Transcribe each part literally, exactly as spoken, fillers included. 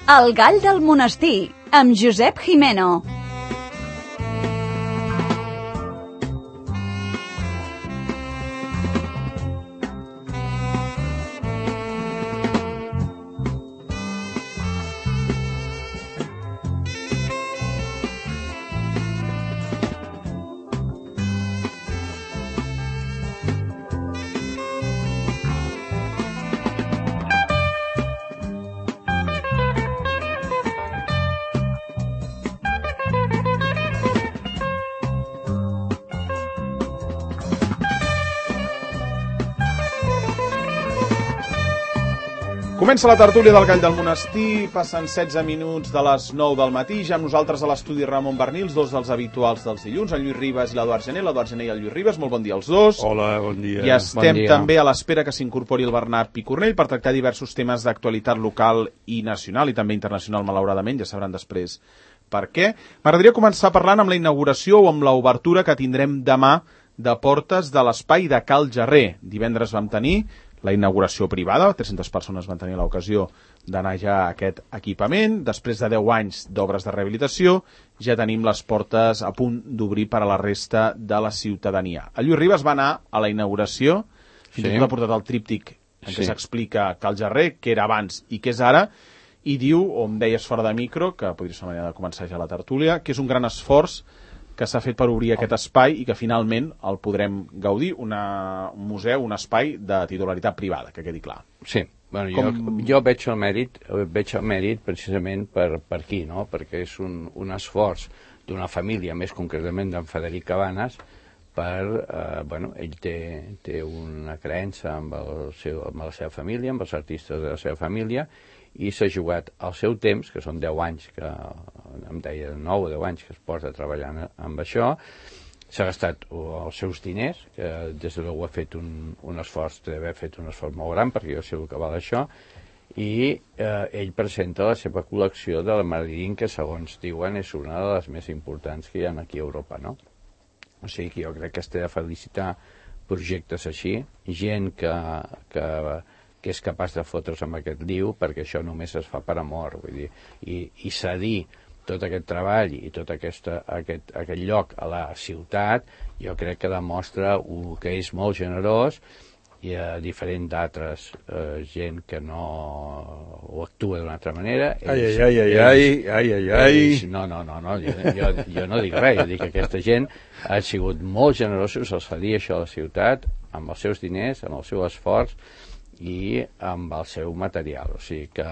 El gall del monestir, amb Josep Gimeno. Comença la tertúlia del Gall del Monestir, passen setze minuts de les nou del matí, ja amb nosaltres a l'estudi Ramon Bernils, dos dels habituals dels dilluns, el Lluís Ribas i l'Eduard Gené, l'Eduard Gené i el Lluís Ribas, molt bon dia als dos. Hola, bon dia. I estem bon dia. També a l'espera que s'incorpori el Bernat Picornell per tractar diversos temes d'actualitat local i nacional, i també internacional, malauradament, ja sabran després per què. M'agradaria començar parlant amb la inauguració o amb l'obertura que tindrem demà de portes de l'espai de Cal Jarrer. Divendres vam tenir la inauguració privada, tres-centes persones van tenir l'ocasió d'anar ja a aquest equipament. Després de deu anys d'obres de rehabilitació, ja tenim les portes a punt d'obrir per a la resta de la ciutadania. El Lluís Ribas va anar a la inauguració, fins i tot ha portat el tríptic en què s'explica Cal Jarrer, què era abans i què és ara, i diu, o em deies fora de micro, que podria ser una manera de començar ja la tertúlia, que és un gran esforç que s'ha fet per obrir aquest espai i que finalment el podrem gaudir, una, un museu, un espai de titularitat privada, que quedi clar. Sí, bueno, Com... jo, jo veig el mèrit, veig el mèrit precisament per, per aquí, no? Perquè és un, un esforç d'una família, més concretament d'en Frederic Cabanes, per, eh, bueno, ell té, té una creença amb, el seu, amb la seva família, amb els artistes de la seva família, i s'ha jugat al seu temps, que són deu anys, que em deia nou o deu anys que es posa treballant amb això, s'ha gastat els seus diners, que des de l'U ha fet un, un esforç, té d'haver fet un esforç molt gran, perquè jo sé el que val això, i eh, ell presenta la seva col·lecció de la Marilyn, que segons diuen és una de les més importants que hi ha aquí a Europa, no? O sigui que jo crec que es té de felicitar projectes així, gent que, que, que és capaç de fotre's amb aquest liu, perquè això només es fa per amor, vull dir, i, i cedir tot aquest treball i tot aquesta, aquest, aquest lloc a la ciutat, jo crec que demostra uh, que és molt generós, i a diferent d'altres eh, gent que no ho actua d'una altra manera. Ai, ai, ai, ai, ai, ai, ai. No, no, no, no jo, jo, jo no dic res, jo dic que aquesta gent ha sigut molt generosos al cedir això a la ciutat, amb els seus diners, amb el seu esforç i amb el seu material. O sigui que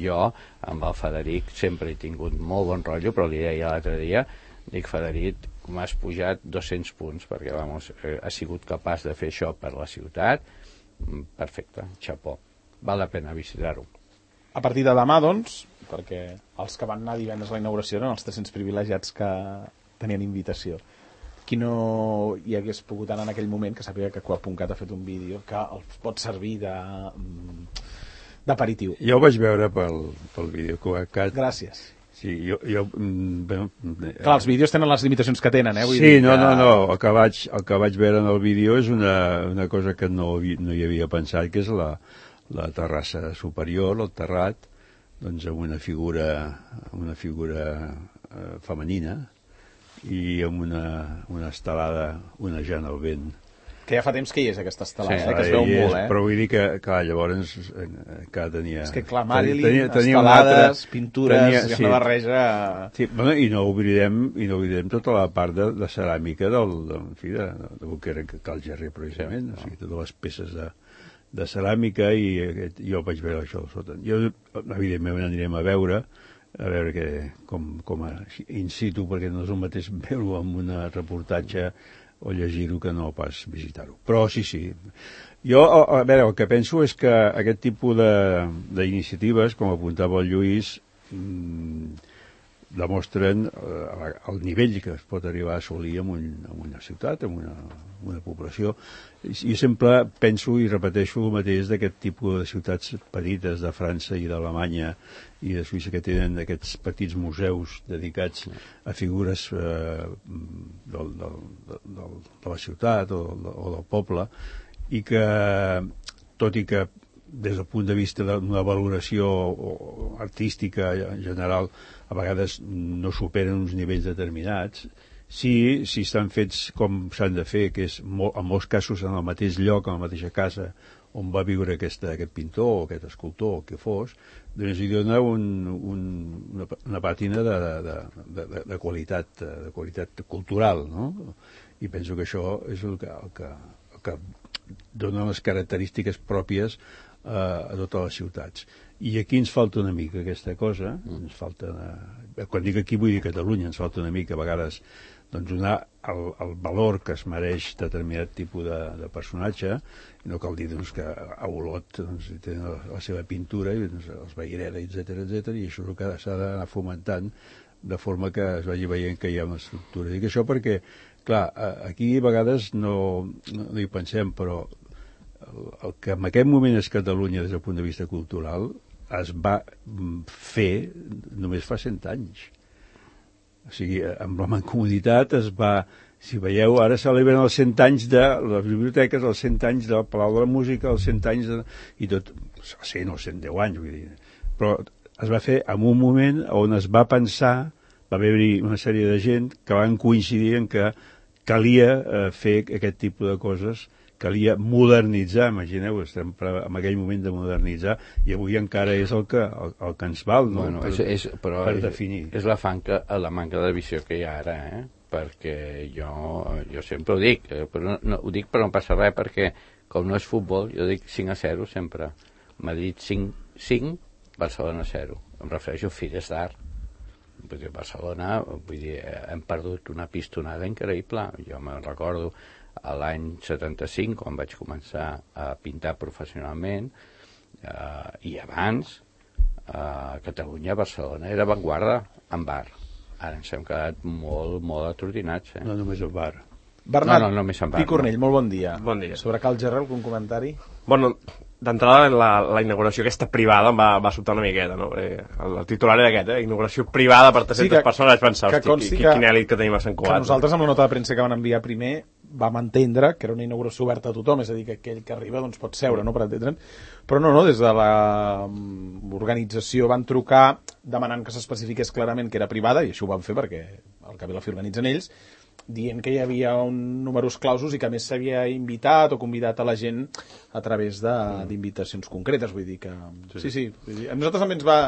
jo, amb el Frederic, sempre he tingut molt bon rotllo, però li deia l'altre dia, dic, Frederic, m'has pujat dos-cents punts, perquè vamos, eh, ha sigut capaç de fer això per la ciutat. Perfecte, xapó. Val la pena visitar-ho. A partir de demà, doncs, perquè els que van anar divendres a la inauguració eren els tres-cents privilegiats que tenien invitació. Qui no hi hagués pogut anar en aquell moment, que sàpiga que Coa.cat ha fet un vídeo que els pot servir de d'aperitiu. Jo ho vaig veure pel, pel vídeo Coa.cat. Gràcies. Sí, jo... jo bueno, clar, els vídeos tenen les limitacions que tenen, eh? Vull sí, dir no, que... no, no, el que vaig, el que vaig veure en el vídeo és una, una cosa que no, no hi havia pensat, que és la, la terrassa superior, el terrat, doncs amb una figura, una figura eh, femenina i amb una, una estelada onejant al vent. Que ja fa temps que hi és aquesta estelada, sí, eh? Que es veu molt, eh? Però vull dir que, clar, llavors que tenia... És que, clar, Marilyn, tenia, tenia estelades, altre, pintures, tenia, sí, sí, una barreja... Sí, bueno, i no oblidem, i no oblidem tota la part de, de ceràmica del, de, en fi, de, de, de que era Cal Jarrer, precisament, sí, o sigui, totes les peces de, de ceràmica, i aquest, jo vaig veure això sota. Jo, evidentment, anirem a veure, a veure que, com, com a in situ, perquè no és el mateix veure-ho en un reportatge o llegir-ho que no pas visitar-ho. Però sí, sí. Jo, a, a veure, el que penso és que aquest tipus d'iniciatives, com apuntava el Lluís, mmm, demostren eh, el nivell que es pot arribar a assolir en, un, en una ciutat, en una, una població. I, I sempre penso i repeteixo el mateix d'aquest tipus de ciutats petites de França i d'Alemanya i de Suïssa, que tenen aquests petits museus dedicats a figures eh, del, del, del, de la ciutat o, o del poble, i que, tot i que des del punt de vista d'una valoració artística en general, a vegades no superen uns nivells determinats. Sí, si estan fets com s'han de fer, que és en molts casos en el mateix lloc, en la mateixa casa on va viure aquesta, aquest pintor o aquest escultor, o que fos, doncs hi dona un, un, una, una pàtina de, de, de, de, de, qualitat, de qualitat cultural, no? I penso que això és el que, el que, el que dona les característiques pròpies eh, a totes les ciutats. I aquí ens falta una mica aquesta cosa, ens falta una... quan dic aquí vull dir Catalunya, ens falta una mica a vegades doncs donar el, el valor que es mereix determinat tipus de, de personatge, i no cal dir doncs, que a Olot doncs, té la, la seva pintura, i doncs, els Vayreda, etcètera, etcètera, i això és el que s'ha d'anar fomentant de forma que es vagi veient que hi ha una estructura. Dic això perquè, clar, aquí a vegades no, no, no hi pensem, però el, el que en aquest moment és Catalunya des del punt de vista cultural es va fer només fa cent anys. O sigui, amb la mancomunitat es va... Si veieu, ara celebren els cent anys de les biblioteques, els cent anys del Palau de la Música, els cent anys de... i tot, cent o cent deu anys, vull dir. Però es va fer en un moment on es va pensar, va haver-hi una sèrie de gent que van coincidir en que calia eh, fer aquest tipus de coses, calia modernitzar, imagineu, estem en aquell moment de modernitzar, i avui encara és el que, el, el que ens val, no? Bueno, per, és, és, però per és, definir. És la, fanca, la manca de visió que hi ha ara, eh? Perquè jo, jo sempre ho dic, eh? Però no, no, ho dic però no passa res, perquè com no és futbol, jo dic cinc a zero sempre. Madrid cinc, cinc, Barcelona zero. Em refereixo a Fires d'Art. Vull dir, Barcelona, vull dir, hem perdut una pistonada increïble. Jo me'n recordo a l'any setanta-cinc, quan vaig començar a pintar professionalment, eh, i abans, a Catalunya, Barcelona era avantguarda en bar. Ara ens hem quedat molt, molt atordinats. Eh? No només el bar. Bernat no, no, només en bar, Picornell, no. molt bon dia. Bon dia. Sobre Cal Gerrer, algun comentari? Bueno, d'entrada la, la inauguració aquesta privada em va, va sobtar una miqueta, no? El, el titular era aquest, eh? Inauguració privada per tres-centes sí, persones, vaig pensar, hosti, qui, que, quin èlit que tenim a Sant Cugat. Que nosaltres, amb la nota de premsa que van enviar primer, vam entendre que era una inauguració oberta a tothom, és a dir, que aquell que arriba doncs, pot seure, no?, per entendre'n. Però no, no, des de l'organització van trucar demanant que s'especifiqués clarament que era privada, i això ho van fer perquè al cap i la fi organitzen ells, dient que hi havia un números clausos i que a més s'havia invitat o convidat a la gent a través d'invitacions concretes, vull dir que... Sí, sí, vull dir, a nosaltres també ens va,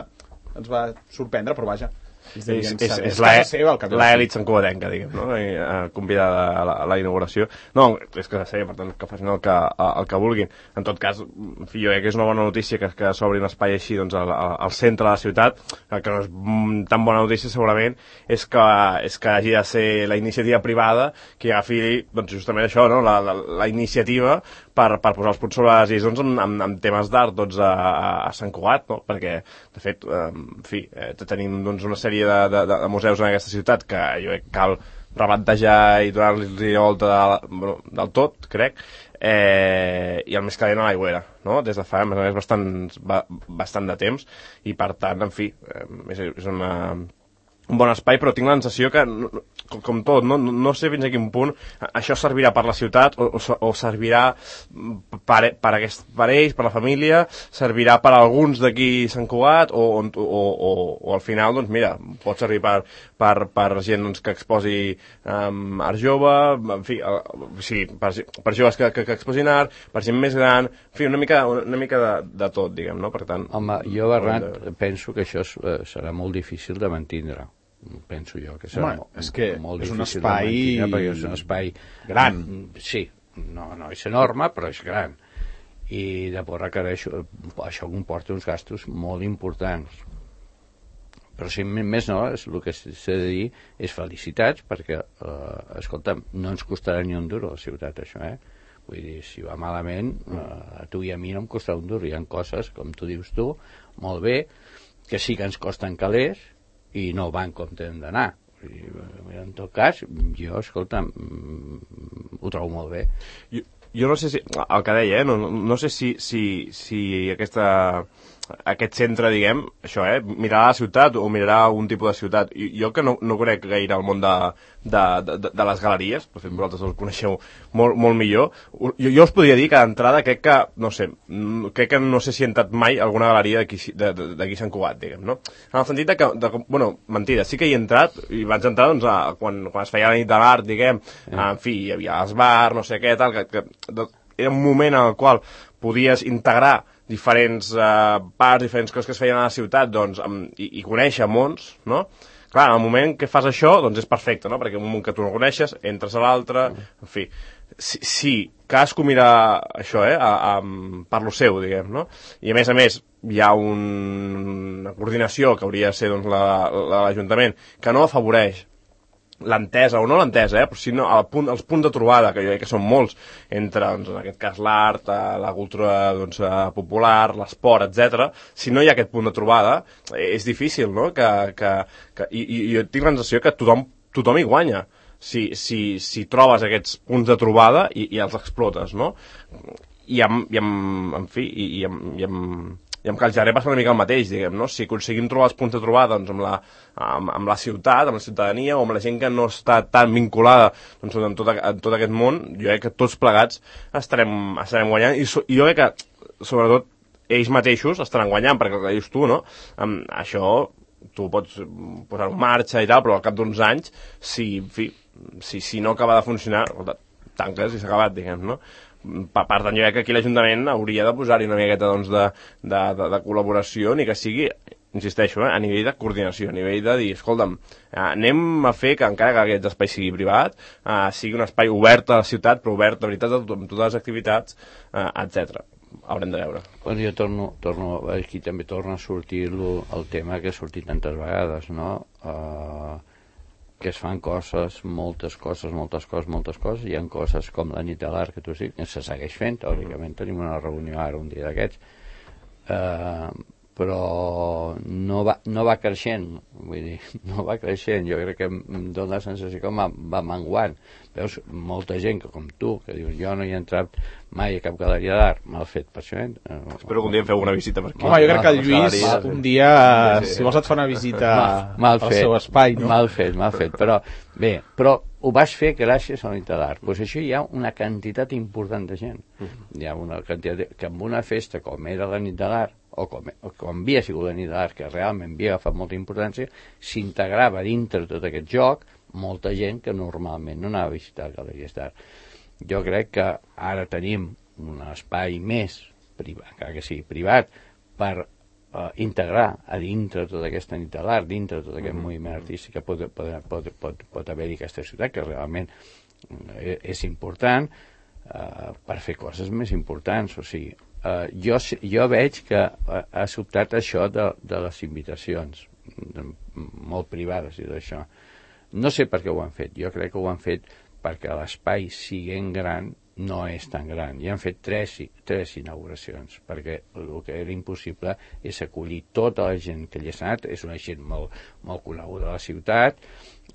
ens va sorprendre, però vaja. És, és, és, és l'elit santcugatenca, diguem, no? I, uh, convidada a la, a la inauguració. No, és que seva, per tant, que facin el que, el que vulguin. En tot cas, en fi, jo crec que és una bona notícia que, que s'obri un espai així doncs, al, al centre de la ciutat, que no és tan bona notícia segurament, és que, és que hagi de ser la iniciativa privada que agafi doncs, justament això, no? la, la, la iniciativa per, per posar els punts sobre les is doncs, en, en, en temes d'art doncs, a, a Sant Cugat, no? Perquè, de fet, eh, en fi, eh, tenim doncs, una sèrie de, de, de museus en aquesta ciutat que jo crec que cal rebantejar i donar-los volta de, bueno, del tot, crec, eh, i el més calent a l'Aigüera, no? Des de fa més bastant, bastant de temps, i per tant, en fi, eh, és, és una... un bon espai, però tinc la sensació que, com tot, no, no sé fins a quin punt això servirà per la ciutat o, o, o servirà per, per, aquest, per ells, per la família, servirà per alguns d'aquí Sant Cugat o, o, o, o al final, doncs mira, pot servir per, per, per gent doncs, que exposi um, art jove, en fi, uh, sí, per, per joves que, que, que exposin art, per gent més gran, en fi, una mica, una mica de, de tot, diguem, no? Per tant... Home, jo, Bernat, de... penso que això serà molt difícil de mantindre. Penso jo que serà Home, és que molt és un difícil espai... de mantenir, perquè és un espai gran. Sí, no, no és enorme, però és gran. I llavors requereix, això comporta uns gastos molt importants. Però si més no, és, el que s'ha de dir és felicitats, perquè, eh, escolta'm, no ens costarà ni un duro a la ciutat, això, eh? Vull dir, si va malament, eh, a tu i a mi no em costarà un duro. Hi ha coses, com tu dius tu, molt bé, que sí que ens costen calés, i no van com tenen d'anar. En tot cas, jo, escolta, ho trobo molt bé. Jo, jo no sé si, el que deia, eh, no, no sé si, si, si aquesta, aquest centre, diguem, això, eh, mirarà la ciutat o mirarà algun tipus de ciutat. I jo que no, no crec gaire el món de, de, de, de les galeries, per fet vosaltres el coneixeu molt, molt millor, jo, jo us podria dir que d'entrada crec que, no sé, crec que no sé si he entrat mai a alguna galeria d'aquí Sant Cugat, diguem, no? En el sentit de que, de, bueno, mentida, sí que hi he entrat, i vaig entrar, doncs, a, quan, quan es feia la nit de l'art, diguem, en fi, hi havia els bars, no sé què, tal, que, que de, era un moment en el qual podies integrar diferents eh, parts, diferents coses que es feien a la ciutat, doncs, amb, i, i conèixer mons, no? Clar, en el moment que fas això, doncs és perfecte, no? Perquè en un moment que tu no coneixes, entres a l'altre, en fi. Si, si cadascú mira això, eh, a, a, per lo seu, diguem, no? I a més a més, hi ha un, una coordinació que hauria de ser doncs, l'Ajuntament, que no afavoreix l'entesa, o no l'entesa, eh, però sinó el punt, els punts de trobada, que jo crec que són molts, entre, doncs, en aquest cas, l'art, la cultura doncs, popular, l'esport, etcètera. Si no hi ha aquest punt de trobada, és difícil, no?, que, que, que i, i jo tinc la sensació que tothom, tothom hi guanya, si, si, si trobes aquests punts de trobada i, i els explotes, no? I amb, i amb, en fi, i, i amb, i amb i amb Cal Gerrer passa una mica el mateix, diguem, no? Si aconseguim trobar els punts de trobada doncs, amb, la, amb, amb la ciutat, amb la ciutadania o amb la gent que no està tan vinculada doncs, en, tot, en tot aquest món, jo crec que tots plegats estarem, estarem guanyant i, so, i jo crec que, sobretot, ells mateixos estaran guanyant, perquè el que dius tu, no? Um, això tu pots posar en marxa i tal, però al cap d'uns anys, si, en fi, si, si no acaba de funcionar, tanques i s'ha acabat, diguem, no? Per tant, jo crec que aquí l'Ajuntament hauria de posar-hi una miqueta doncs, de, de, de, de col·laboració, ni que sigui, insisteixo, eh, a nivell de coordinació, a nivell de dir, escolta'm, eh, anem a fer que encara que aquest espai sigui privat, eh, sigui un espai obert a la ciutat, però obert de veritat amb totes les activitats, eh, etcètera. Haurem de veure. Bueno, jo torno, torno, aquí també torna a sortir lo, el tema que ha sortit tantes vegades, no? Uh, que es fan coses, moltes coses, moltes coses, moltes coses, hi ha coses com la nit de l'art que tu sí, que se segueix fent, teòricament tenim una reunió ara un dia d'aquests, eh, però no va, no va creixent, vull dir, no va creixent, jo crec que em dóna la sensació que va, va menguant. Veus, molta gent que com tu, que dius, jo no hi he entrat mai a cap galeria d'art, mal fet per això. Eh? Espero que un dia feu una visita per aquí. Home, jo crec que el Lluís un dia, sí, sí. si vols et fa una visita mal, mal al fet, seu espai, no? Mal fet, mal fet, però bé, però ho vas fer gràcies a la nit de l'art. Pues això hi ha una quantitat important de gent. Hi ha una quantitat de, que amb una festa com era la nit de l'art, o com, o com havia sigut la nit de l'art, que realment havia agafat molta importància, s'integrava dintre tot aquest joc molta gent que normalment no anava a visitar galeries d'art. Jo crec que ara tenim un espai més, privat, encara que sigui privat, per uh, integrar a dintre tota aquesta nit de l'art, dintre tot aquest mm-hmm. moviment artístic que pot, pot, pot, pot, pot haver-hi aquesta ciutat, que realment és important, uh, per fer coses més importants. O sigui, uh, jo, jo veig que uh, ha sobtat això de, de les invitacions, de, molt privades i d'això. No sé per què ho han fet, jo crec que ho han fet perquè l'espai, siguent gran, no és tan gran. I han fet tres, tres inauguracions, perquè el que era impossible és acollir tota la gent que hi ha anat, és una gent molt, molt coneguda a la ciutat,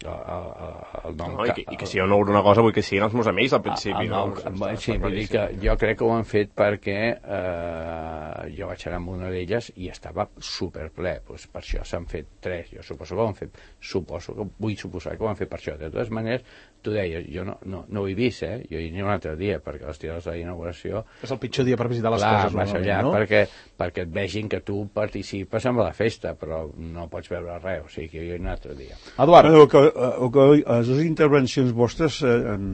el, el, el nom... No, i, que, I que si jo no una cosa vull que siguin els meus amics al principi. El nom, no? Sí, vull dir que jo crec que ho han fet perquè eh, jo vaig anar amb una d'elles i estava superple, doncs per això s'han fet tres, jo suposo que ho han fet, suposo que vull suposar que ho han fet per això. De totes maneres, tu deies, jo no, no, no ho he vist, eh? Jo hi aniré un altre dia, perquè les tirades de l'inauguració... És el pitjor dia per visitar les clar, coses, vas allà, no? perquè, perquè et vegin que tu participes en la festa, però no pots veure res, o sigui que jo hi aniré un altre dia. Eduard. Bueno, que, o que les dues intervencions vostres eh, em,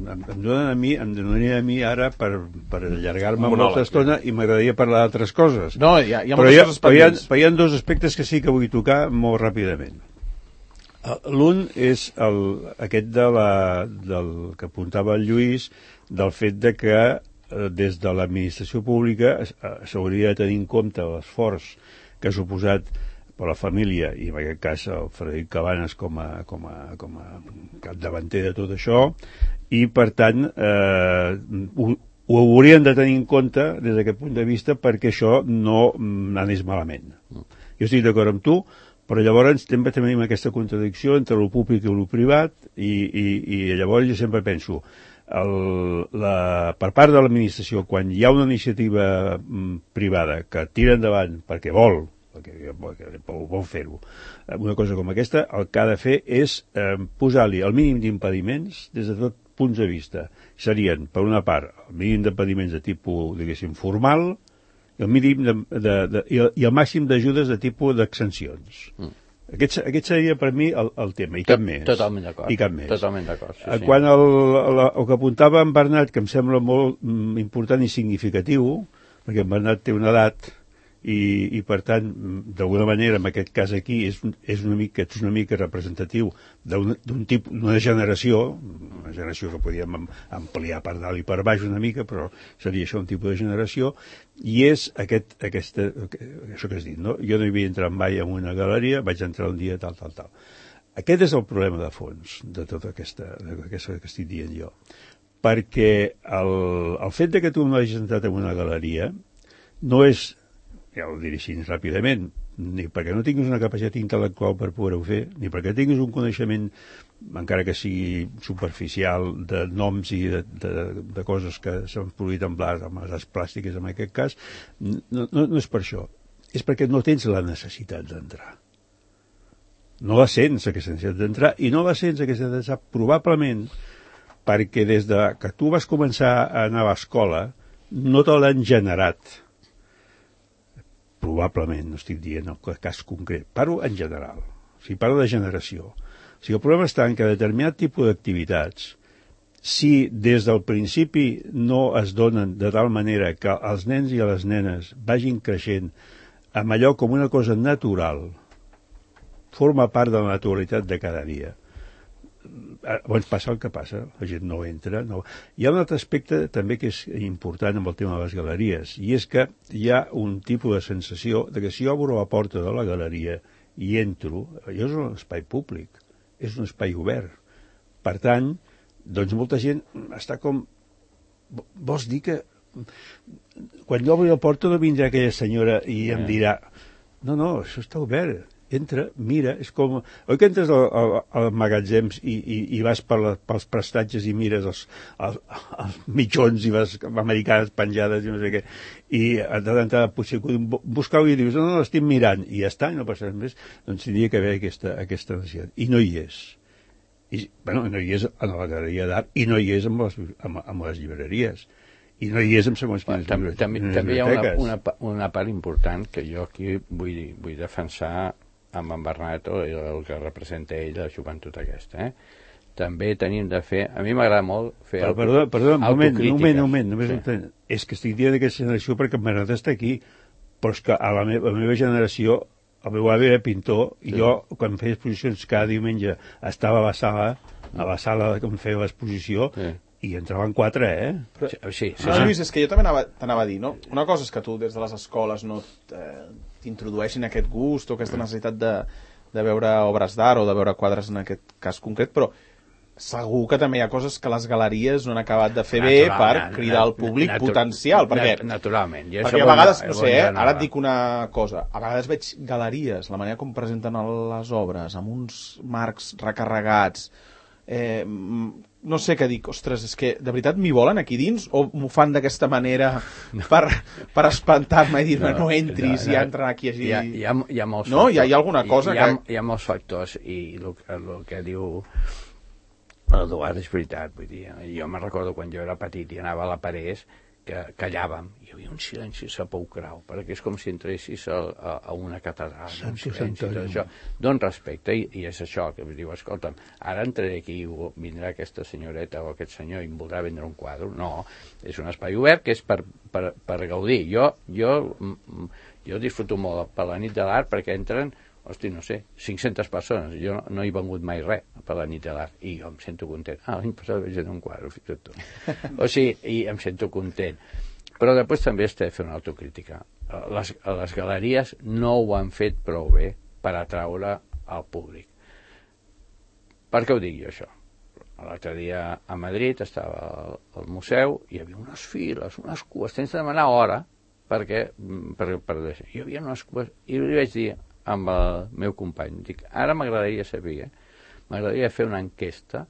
em, em donen a mi, em donaria a mi ara per, per allargar-me molta estona i m'agradaria parlar d'altres coses. No, hi ha, hi ha però, moltes hi ha, coses però, hi ha, pendents. però hi ha dos aspectes que sí que vull tocar molt ràpidament. L'un és el, aquest de la, del que apuntava el Lluís, del fet de que eh, des de l'administració pública s'hauria de tenir en compte l'esforç que ha suposat per la família, i en aquest cas el Frederic Cabanes com a, com a, com a capdavanter de tot això, i per tant eh, ho, ho haurien de tenir en compte des d'aquest punt de vista perquè això no anés malament. Jo estic d'acord amb tu, però llavors sempre tenim aquesta contradicció entre el públic i el privat, i, i, i llavors jo sempre penso, el, la, per part de l'administració, quan hi ha una iniciativa mm, privada que tira endavant perquè vol, perquè, perquè vol fer-ho, una cosa com aquesta, el que ha de fer és eh, posar-li el mínim d'impediments des de tot punts de vista. Serien, per una part, el mínim d'impediments de tipus, diguéssim, formal, i el mínim de, de, de, i, el, i el màxim d'ajudes de tipus d'exencions. Mm. Aquest, aquest seria per mi el, el tema, i cap més. Totalment d'acord. I cap més. Totalment d'acord, sí, sí. Quan el, el, el que apuntava en Bernat, que em sembla molt mm, important i significatiu, perquè en Bernat té una edat i, i per tant, d'alguna manera, en aquest cas aquí, és, és, una, mica, és una mica representatiu d'un tipus, d'una generació, una generació que podíem ampliar per dalt i per baix una mica, però seria això un tipus de generació, i és aquest, aquesta, això que has dit, no? Jo no hi havia entrat mai en una galeria, vaig entrar un dia, tal, tal, tal. Aquest és el problema de fons de tota aquesta, aquesta que estic dient jo. Perquè el, el fet de que tu no hagis entrat en una galeria no és, ja ho diré així ràpidament, ni perquè no tinguis una capacitat intel·lectual per poder-ho fer, ni perquè tinguis un coneixement, encara que sigui superficial, de noms i de, de, de coses que s'han produït en blat, amb les arts plàstiques en aquest cas, no, no, no és per això. És perquè no tens la necessitat d'entrar. No la sents, aquesta necessitat d'entrar, i no la sents, aquesta necessitat, probablement perquè des de que tu vas començar a anar a l'escola no te l'han generat. Probablement, no estic dient el cas concret, parlo en general, o sigui, parlo de generació. O sigui, el problema està en que determinat tipus d'activitats, si des del principi no es donen de tal manera que els nens i les nenes vagin creixent amb allò com una cosa natural, forma part de la naturalitat de cada dia. Llavors passa el que passa, la gent no entra. No. Hi ha un altre aspecte també que és important amb el tema de les galeries, i és que hi ha un tipus de sensació de que si jo obro la porta de la galeria i entro, allò és un espai públic, és un espai obert. Per tant, doncs molta gent està com... Vols dir que quan jo obri la porta no vindrà aquella senyora i em dirà no, no, això està obert. Entra, mira, és com... Oi que entres als al, al magatzems i, i, i vas per la, pels prestatges i mires els, els, els mitjons i les americanes penjades i no sé què, i a d'entrada potser buscar i dius, no, no, l'estic mirant, i ja està, i no passa res més, doncs tindria que haver aquesta, aquesta necessitat. I no hi és. I, bueno, no hi és a la galeria d'art, i no hi és amb les, amb, amb les llibreries. I no hi és amb segons quines també, també, també hi ha una, una, una part important que jo aquí vull, vull defensar amb en Bernat i el que representa ell, la joventut aquesta. Eh? També tenim de fer... A mi m'agrada molt fer autocrítica. Perdó, perdó, un moment, un moment, un moment. Només sí. És que estic dient d'aquesta generació perquè en Bernat està aquí, però és que a la, me a la meva generació el meu avi era pintor i sí. Jo, quan feia exposicions cada diumenge, estava a la sala, a la sala on feia l'exposició, sí. I entraven quatre, eh? Però, sí, sí, sí. No, Lluís, és que jo també t'anava a dir, no? Una cosa és que tu des de les escoles no t'introdueixin aquest gust o aquesta necessitat de, de veure obres d'art o de veure quadres en aquest cas concret, però segur que també hi ha coses que les galeries no han acabat de fer Natural, bé per cridar al públic natu potencial. Perquè, naturalment. I perquè a vegades, no sé, eh, ara et dic una cosa, a vegades veig galeries, la manera com presenten les obres, amb uns marcs recarregats, eh, no sé què dic, ostres, és que de veritat m'hi volen aquí dins o m'ho fan d'aquesta manera no. per, per espantar-me i dir-me no, no entris no, no, i entren aquí així... Hi ha, hi ha, hi ha molts no? Hi ha, hi ha alguna cosa hi ha, que... Hi ha molts factors i el, el que diu l'Eduard és veritat, vull dir, jo me'n recordo quan jo era petit i anava a la Parés que callàvem, hi havia un silenci sepulcral, perquè és com si entressis a, a, a una catedral, un silenci, tot això. Don respecte, i, i és això, que diu, escolta'm, ara entraré aquí i vindrà aquesta senyoreta o aquest senyor i em voldrà vendre un quadre. No, és un espai obert que és per, per, per gaudir. Jo, jo, jo disfruto molt per la nit de l'art perquè entren, hosti, no sé, cinc-centes persones. Jo no, no he vengut mai res per la nit de l'art i jo em sento content. Ah, l'any passat vaig anar un quadre, fixa't tu. O sigui, i em sento content. Però després també has de fer una autocrítica. Les, les galeries no ho han fet prou bé per atraure al públic. Per què ho dic jo, això? L'altre dia a Madrid estava al, al museu i hi havia unes files, unes cues, tens de demanar hora perquè, per, per deixar. Hi havia unes cues i li vaig dir amb el meu company, dic, ara m'agradaria saber, eh? M'agradaria fer una enquesta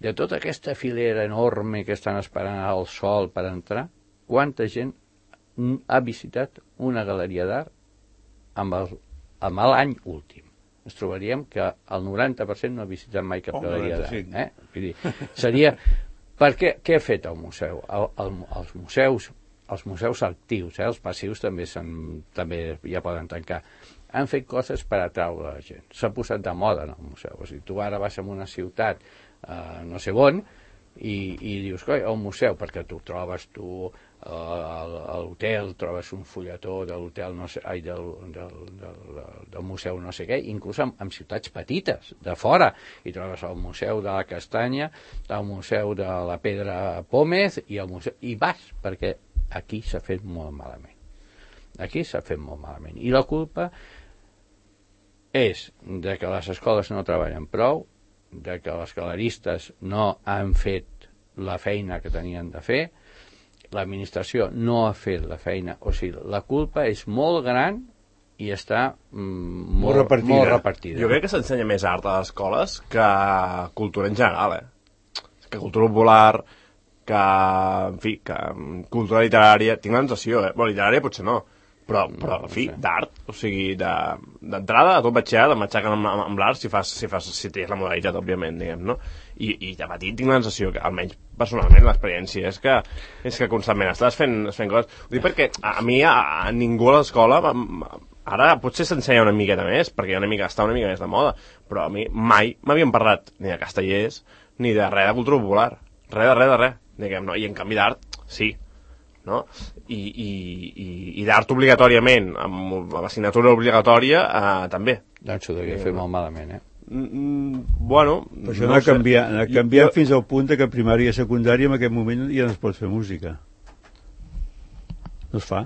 de tota aquesta filera enorme que estan esperant al sol per entrar, quanta gent ha visitat una galeria d'art amb el, amb l'any últim? Ens trobaríem que el noranta per cent no ha visitat mai cap oh, galeria d'art. Eh? Vull dir, seria... Per què, què ha fet el museu? El, el, els museus, els museus actius, eh? Els passius també, també ja poden tancar. Han fet coses per atraure la gent. S'ha posat de moda en el museu. O sigui, tu ara vas a una ciutat, eh, no sé on, i, i dius, coi, el museu, perquè tu trobes tu eh, a l'hotel, trobes un fulletó de l'hotel, no sé, ai, del, del, del, del museu no sé què, inclús en, en ciutats petites, de fora, i trobes el museu de la Castanya, el museu de la Pedra Pómez, i el museu, i vas, perquè aquí s'ha fet molt malament. Aquí s'ha fet molt malament. I la culpa és de que les escoles no treballen prou, de que els galeristes no han fet la feina que tenien de fer, l'administració no ha fet la feina, o sigui, la culpa és molt gran i està mm, molt, molt, repartida. molt repartida. Jo crec que s'ensenya més art a les escoles que cultura en general, eh? Que cultura popular, que, en fi, que cultura literària, tinc la sensació, eh? Bueno, literària potser no, però, però en fi, no sé. D'art, o sigui, d'entrada, de, a tot batxillerat, em matxaquen amb, amb, amb l'art si fas, si fas, si tens la modalitat, òbviament, diguem, no? I, i de petit tinc la sensació que, almenys personalment, l'experiència és que, és que constantment estàs fent, fent coses. Ho dic perquè a, a mi, a, a ningú a l'escola, ara potser s'ensenya una miqueta més, perquè una mica, està una mica més de moda, però a mi mai m'havien parlat ni de castellers, ni de res de cultura popular. Res de res de res, diguem, no? I en canvi d'art, sí. No? I, i, i, i d'art obligatòriament, amb l'assignatura obligatòria, eh, també. Doncs ho devia fer molt malament, eh? Mm, bueno... Però això no ha canviat, ha canviat jo... fins al punt que a primària i secundària en aquest moment ja no es pot fer música. No es fa.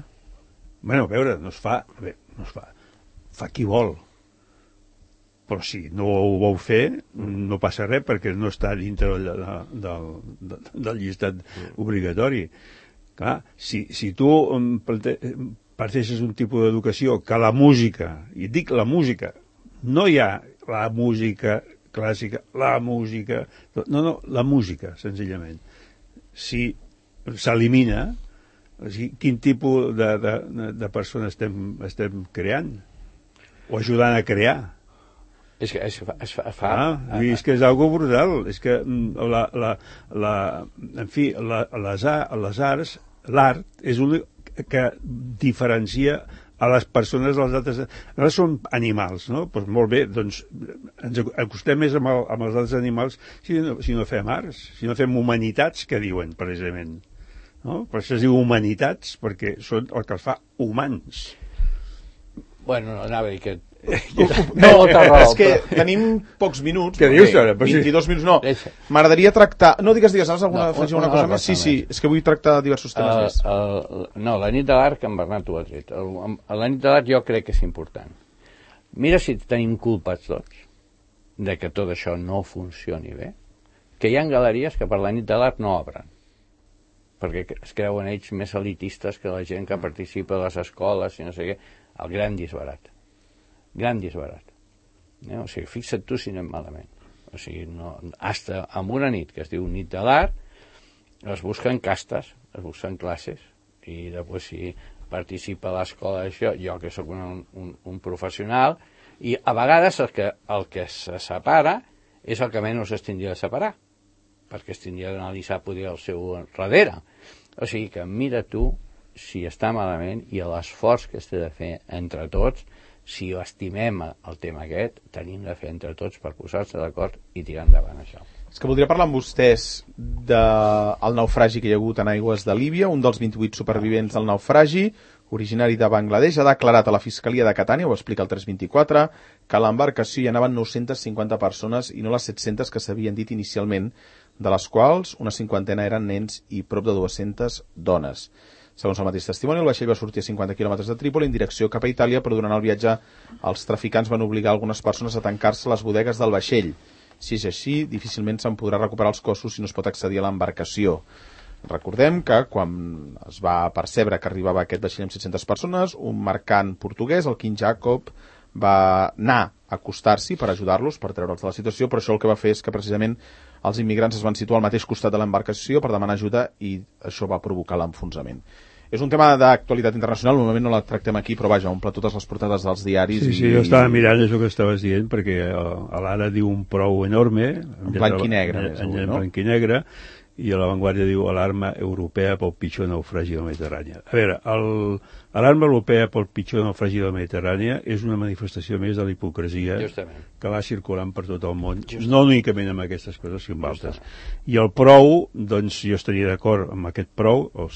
Bueno, a veure, no es fa. Bé, no es fa. Fa qui vol. Però si no ho vau fer, no passa res perquè no està dintre del, del, del, del llistat obligatori. Clar, si, si tu parteixes un tipus d'educació que la música, i dic la música, no hi ha la música clàssica, la música... No, no, la música, senzillament. Si s'elimina, o sigui, quin tipus de, de, de persones estem, estem creant? O ajudant a crear? És que es fa... Es fa, es fa ah, és que és algo brutal. És que la, la, la, en fi, la, les, les arts, l'art és un que diferencia a les persones dels altres... Nosaltres som animals, no? Doncs molt bé, doncs ens acostem més amb, el, amb els altres animals si no, si no fem arts, si no fem humanitats, que diuen, precisament. No? Per això es diu humanitats, perquè són el que els fa humans. Bueno, no, anava a dir que... No, és que tenim pocs minuts. Què dius ara? vint-i-dos minuts, no. M'agradaria tractar... No, digues, digues, has alguna, no, alguna cosa més? Sí, sí, és que vull tractar diversos temes uh, més. Uh, no, la nit de l'art que en Bernat ho ha tret. La nit de l'art jo crec que és important. Mira si tenim culpes tots de que tot això no funcioni bé, que hi ha galeries que per la nit de l'art no obren, perquè es creuen ells més elitistes que la gent que participa a les escoles i no sé què. El gran disbarat. Gran disbarat. Eh? O sigui, fixa't tu si anem malament. O sigui, no, hasta amb una nit que es diu nit de l'art, es busquen castes, es busquen classes, i després si participa a l'escola d'això, jo que sóc un, un, un professional, i a vegades el que, el que se separa és el que menys es tindria de separar, perquè es tindria d'analitzar poder el seu darrere. O sigui que mira tu si està malament i l'esforç que es té de fer entre tots. Si estimem el tema aquest, tenim de fer entre tots per posar-se d'acord i tirar endavant això. És que voldria parlar amb vostès del naufragi que hi ha hagut en aigües de Líbia. Un dels vint-i-vuit supervivents del naufragi, originari de Bangladesh, ha declarat a la Fiscalia de Catània, ho explica el tres vint-i-quatre, que a l'embarcació hi anaven nou-centes cinquanta persones i no les set-centes que s'havien dit inicialment, de les quals una cinquantena eren nens i prop de dues-centes dones. Segons el mateix testimoni, el vaixell va sortir a cinquanta quilòmetres de Trípoli en direcció cap a Itàlia, però durant el viatge els traficants van obligar algunes persones a tancar-se a les bodegues del vaixell. Si és així, difícilment se'n podrà recuperar els cossos si no es pot accedir a l'embarcació. Recordem que quan es va percebre que arribava aquest vaixell amb set-centes persones, un mercant portuguès, el King Jacob, va anar a acostar-s'hi per ajudar-los, per treure'ls de la situació, però això el que va fer és que precisament els immigrants es van situar al mateix costat de l'embarcació per demanar ajuda i això va provocar l'enfonsament. És un tema d'actualitat internacional, normalment no la tractem aquí, però vaja, omple totes les portades dels diaris. Sí, sí, i... jo estava mirant això que estaves dient, perquè l'Ara diu un prou enorme, en blanc i negre, en, en, en blanc i negre, i a l'avantguàrdia diu alarma europea pel pitjor naufragi del Mediterrani. A veure, l'alarma europea pel pitjor naufragi del Mediterrani és una manifestació més de la hipocresia Justament. que va circulant per tot el món, Justament. no únicament amb aquestes coses, sinó amb altres. I el prou, doncs jo estaria d'acord amb aquest prou, o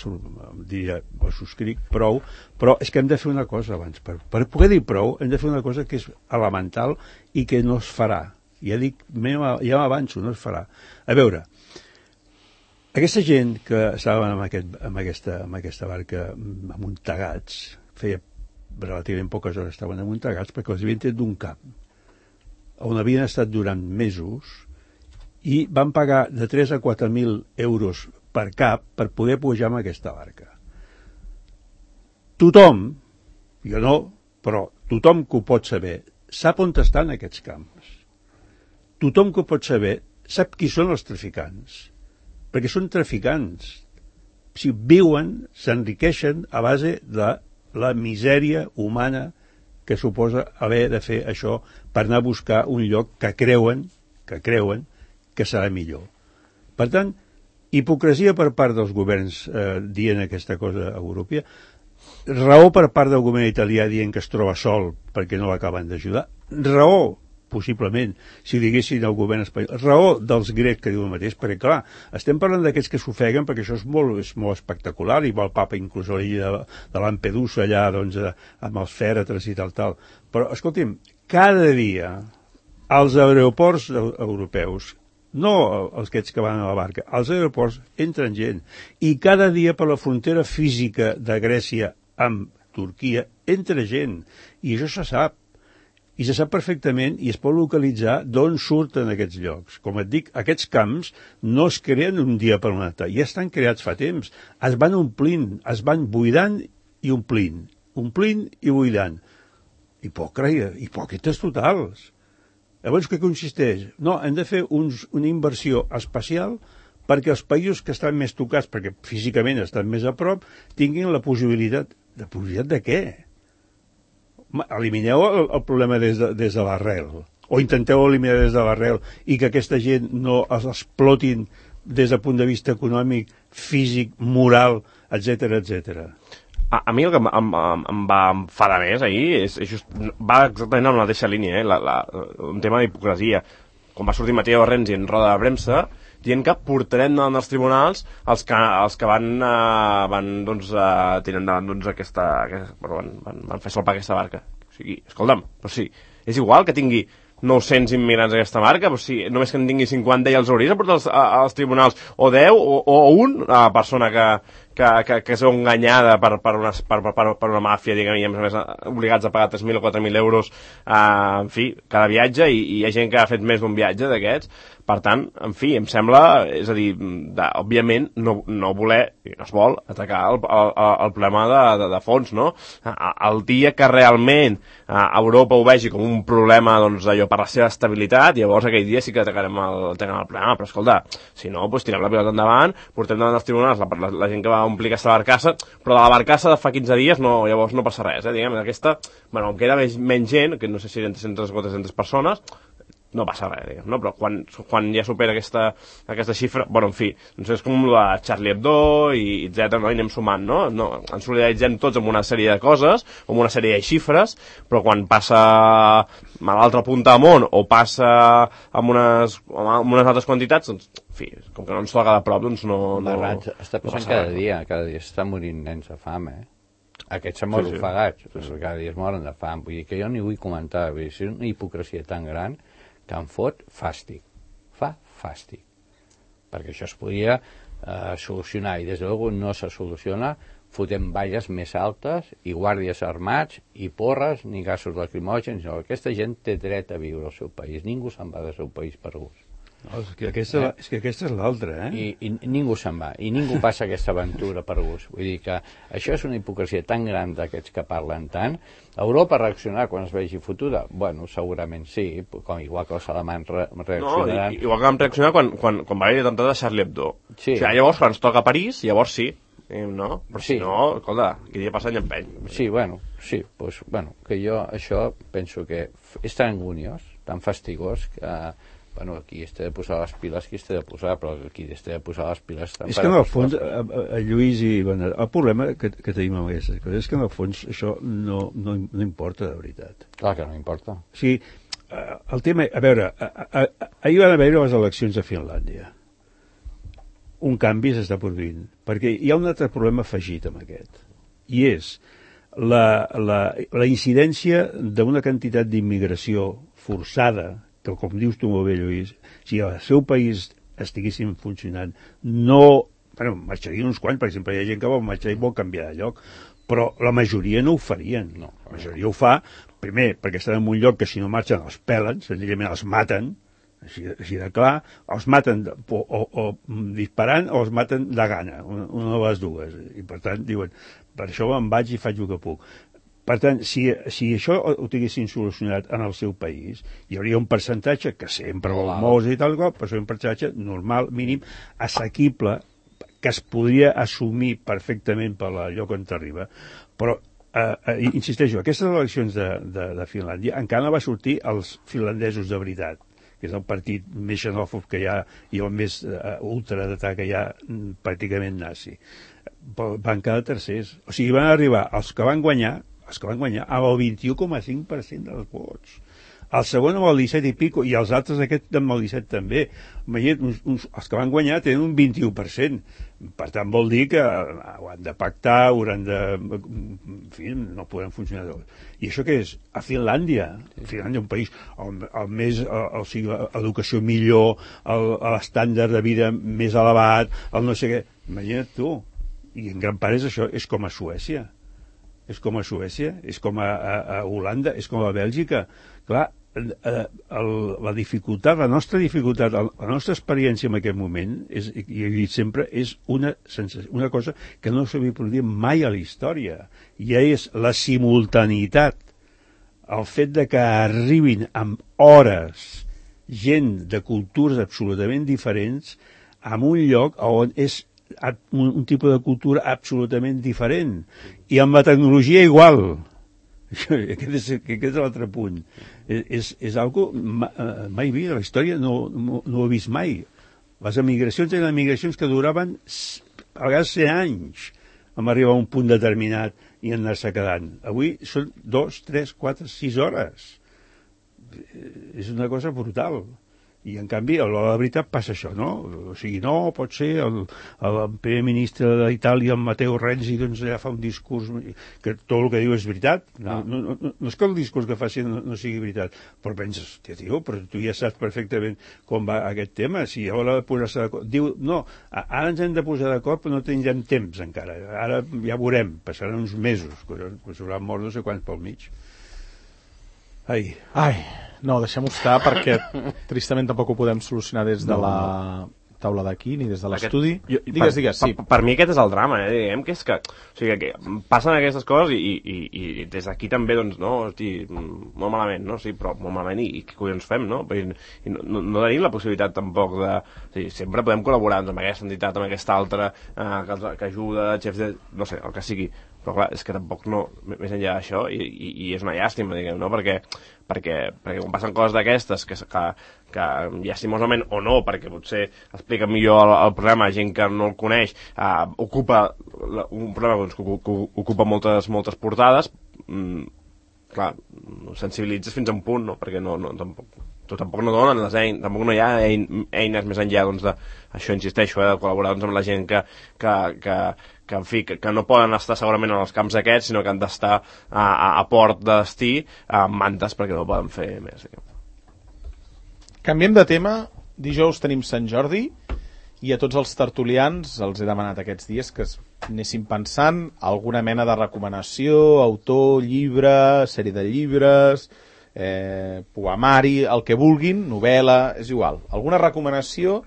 diria, o subscric, prou, però és que hem de fer una cosa abans. Per, per poder dir prou, hem de fer una cosa que és elemental i que no es farà. Ja dic, ja m'avanço, no es farà. A veure, aquesta gent que estaven amb, aquest, amb, aquesta, amb aquesta barca amuntegats, feia relativament poques hores estaven amuntegats perquè els havien tret d'un camp on havien estat durant mesos i van pagar de tres a quatre mil euros per cap per poder pujar amb aquesta barca. Tothom, jo no, però tothom que ho pot saber, sap on estan aquests camps. Tothom que ho pot saber sap qui són els traficants. Perquè són traficants. Si viuen, s'enriqueixen a base de la misèria humana que suposa haver de fer això per anar a buscar un lloc que creuen, que creuen que serà millor. Per tant, hipocresia per part dels governs eh, dient aquesta cosa europea, raó per part del govern italià dient que es troba sol perquè no l'acaben d'ajudar, raó possiblement, si diguessin al govern espanyol. Raó dels grecs que diu el mateix, perquè clar, estem parlant d'aquests que s'ofeguen perquè això és molt, és molt espectacular, i va el papa inclús a l'illa de, de Lampedusa allà, doncs, amb els fèretres i tal, tal. Però, escolti'm, cada dia als aeroports europeus, no els aquests que van a la barca, als aeroports entren gent, i cada dia per la frontera física de Grècia amb Turquia entra gent, i això se sap. I se sap perfectament i es pot localitzar d'on surten aquests llocs. Com et dic, aquests camps no es creen un dia per un altre, ja estan creats fa temps. Es van omplint, es van buidant i omplint, omplint i buidant. Hipòcrita, hipòcrites totals. Llavors, què consisteix? No, hem de fer uns, una inversió especial perquè els països que estan més tocats, perquè físicament estan més a prop, tinguin la possibilitat. La possibilitat de què? Elimineu el, el problema des de, des de l'arrel, o intenteu eliminar des de l'arrel i que aquesta gent no els explotin des del punt de vista econòmic, físic, moral, etcètera, etcètera. A, a mi el que em, em, em va enfadar més ahir és, és just, va exactament en la mateixa línia, eh? la, la, un tema d'hipocresia. Quan va sortir Matteo Renzi en roda de premsa dient que portarem davant dels tribunals els que, els que van, uh, van doncs, uh, tirar endavant doncs, aquesta, aquesta, bueno, van, van, van fer salpar aquesta barca. O sigui, escolta'm, però sí, és igual que tingui nou-cents immigrants a aquesta barca, però sí, només que en tingui cinquanta i els hauries de portar als, als tribunals, o deu, o, o un, a persona que, que, que, que és enganyada per, per, una, per, per, per una màfia, diguem, i a més a més obligats a pagar tres mil o quatre mil euros, eh, en fi, cada viatge, i, i hi ha gent que ha fet més d'un viatge d'aquests. Per tant, en fi, em sembla, és a dir, de, òbviament, no, no voler, i no es vol, atacar el, el, el problema de, de, de fons, no? El dia que realment Europa ho vegi com un problema, doncs, allò, per la seva estabilitat, llavors aquell dia sí que atacarem el, atacarem el problema, però escolta, si no, doncs tirem la pilota endavant, portem davant dels tribunals la, la, la gent que va omplir aquesta barcassa, però de la barcassa de fa quinze dies, no, llavors no passa res, eh, diguem, aquesta, bueno, em queda menys, menys gent, que no sé si eren tres-centes o quatre-centes persones, no passa res, diguem, no? Però quan, quan ja supera aquesta, aquesta xifra, bueno, en fi, doncs és com la Charlie Hebdo i etcètera, no? I anem sumant, no? no? Ens solidaritzem tots amb una sèrie de coses, amb una sèrie de xifres, però quan passa a l'altra punta del món o passa amb unes, amb unes altres quantitats, doncs, en fi, com que no ens toca de prop, doncs no... no Barrats, està passant no cada res, dia, cada dia s'estan morint nens de fam, eh? Aquests s'han mort sí, sí. ofegats, sí, sí. Cada dia es moren de fam, vull dir que jo ni vull comentar, vull dir, és una hipocresia tan gran que em fot fàstic, fa fàstic, perquè això es podia eh, solucionar, i des de luego no se soluciona, fotem valles més altes, i guàrdies armats, i porres, ni gasos lacrimògens, no. Aquesta gent té dret a viure al seu país, ningú se'n va del seu país per gust. No, és, que aquesta, eh? és que aquesta és l'altra, eh? I, I ningú se'n va, i ningú passa aquesta aventura per gust. Vull dir que això és una hipocresia tan gran d'aquests que parlen tant. Europa reaccionarà quan es vegi fotuda? Bueno, segurament sí, com igual que els alemans re reaccionaran. No, igual que vam reaccionar quan, quan, quan va haver l'atemptat de Charlie Hebdo. Sí. O sigui, llavors, quan ens toca a París, llavors sí. No? Però sí. Si no, escolta, aquí dia passant i empeny. Sí, bueno, sí, pues, bueno, que jo això penso que és tan anguniós, tan fastigós, que bueno, qui es té de posar les piles, qui es té de posar, però qui es té de posar les piles... És que en el fons, a, a Lluís i Bernat, el problema que, que tenim amb aquestes coses és que en el fons això no, no, no importa de veritat. Clar que no importa. O sigui, el tema... A veure, a, a, a, ahir van haver les eleccions a Finlàndia. Un canvi s'està produint, perquè hi ha un altre problema afegit amb aquest, i és la, la, la incidència d'una quantitat d'immigració forçada, que com dius tu molt bé, Lluís, si al seu país estiguessin funcionant, no... Bueno, marxarien uns quants, per exemple, hi ha gent que vol marxar i vol canviar de lloc, però la majoria no ho farien. No, la majoria ho fa, primer, perquè estan en un lloc que si no marxen els pelen, senzillament els maten, així, així de clar, els maten de, o, o, o disparant o els maten de gana, una, una de les dues. I per tant diuen, per això em vaig i faig el que puc. Per tant, si, si això ho tinguessin solucionat en el seu país, hi hauria un percentatge, que sempre vol molts i tal, però és un percentatge normal, mínim, assequible, que es podria assumir perfectament per lloc on t'arriba. Però, eh, eh, insisteixo, aquestes eleccions de, de, de Finlàndia encara no va sortir els finlandesos de veritat, que és el partit més xenòfob que hi ha i el més uh, ultradretà que hi ha, pràcticament nazi. Van quedar tercers. O sigui, van arribar els que van guanyar, els que van guanyar amb el vint-i-u coma cinc per cent dels vots. El segon amb el disset i pico, i els altres aquest amb el disset també. Imagina't, uns, uns, els que van guanyar tenen un vint-i-u per cent. Per tant, vol dir que ho han de pactar, hauran de... En fi, no podran funcionar. I això què és? A Finlàndia. A Finlàndia, un país el, el més... El, o sigui, l'educació millor, l'estàndard de vida més elevat, el no sé què. Imagina't tu. I en gran part és això, és com a Suècia. És com a Suècia, és com a, a, a Holanda, és com a Bèlgica. Clar, el, la dificultat, la nostra dificultat, la nostra experiència en aquest moment, és, i he dit sempre, és una, sensació, una cosa que no s'havia produït mai a la història. I és la simultaneïtat, el fet de que arribin amb hores gent de cultures absolutament diferents en un lloc on és un, un tipus de cultura absolutament diferent i amb la tecnologia igual. Aquest és, aquest és l'altre punt. És, és algo mai vist a la història, no, no, no ho he vist mai. Les emigracions eren emigracions que duraven a vegades cent anys amb arribar a un punt determinat i anar-se quedant. Avui són dos, tres, quatre, sis hores. És una cosa brutal. I, en canvi, a l'hora de la veritat passa això, no? O sigui, no, pot ser el, el primer ministre d'Itàlia, en Matteo Renzi, doncs allà fa un discurs que tot el que diu és veritat. No, no, no, no és que el discurs que faci no, no sigui veritat, però penses, tia, tio, però tu ja saps perfectament com va aquest tema, si a l'hora de posar-se d'acord... Diu, no, ara ens hem de posar d'acord, però no tindrem temps encara. Ara ja veurem, passaran uns mesos, que s'hauran mort no sé quants pel mig. Ai. Ai, no, deixem-ho estar perquè tristament tampoc ho podem solucionar des de no, la no. taula d'aquí ni des de l'estudi. Digues, per, digues, sí. Per, per mi aquest és el drama, eh? Diguem que és que, o sigui, que passen aquestes coses i, i, i des d'aquí també, doncs, no, hosti, molt malament, no? Sí, però molt malament i, i què collons fem, no? I, i no, no tenim la possibilitat tampoc de... O sigui, sempre podem col·laborar doncs, amb aquesta entitat, amb aquesta altra, eh, que, que ajuda, xefs de... no sé, el que sigui. Però clar, és que tampoc no, més enllà d'això, i, i, i és una llàstima, diguem, no? Perquè, perquè, perquè quan passen coses d'aquestes, que, que, que llastimosament o no, perquè potser explica millor el, el problema, gent que no el coneix, eh, ocupa un problema doncs, que, que ocupa moltes, moltes portades, mm, clar, sensibilitzes fins a un punt, no? Perquè no, no, tampoc, tampoc no donen les eines, tampoc no hi ha eines més enllà, doncs, de, això insisteixo, eh, de col·laborar doncs, amb la gent que, que, que que, en fi, que, que no poden estar segurament en els camps aquests, sinó que han d'estar a, a, a port de destí amb mantes perquè no poden fer més. Canviem de tema. Dijous tenim Sant Jordi i a tots els tertulians els he demanat aquests dies que anessin pensant alguna mena de recomanació, autor, llibre, sèrie de llibres, eh, poemari, el que vulguin, novel·la, és igual. Alguna recomanació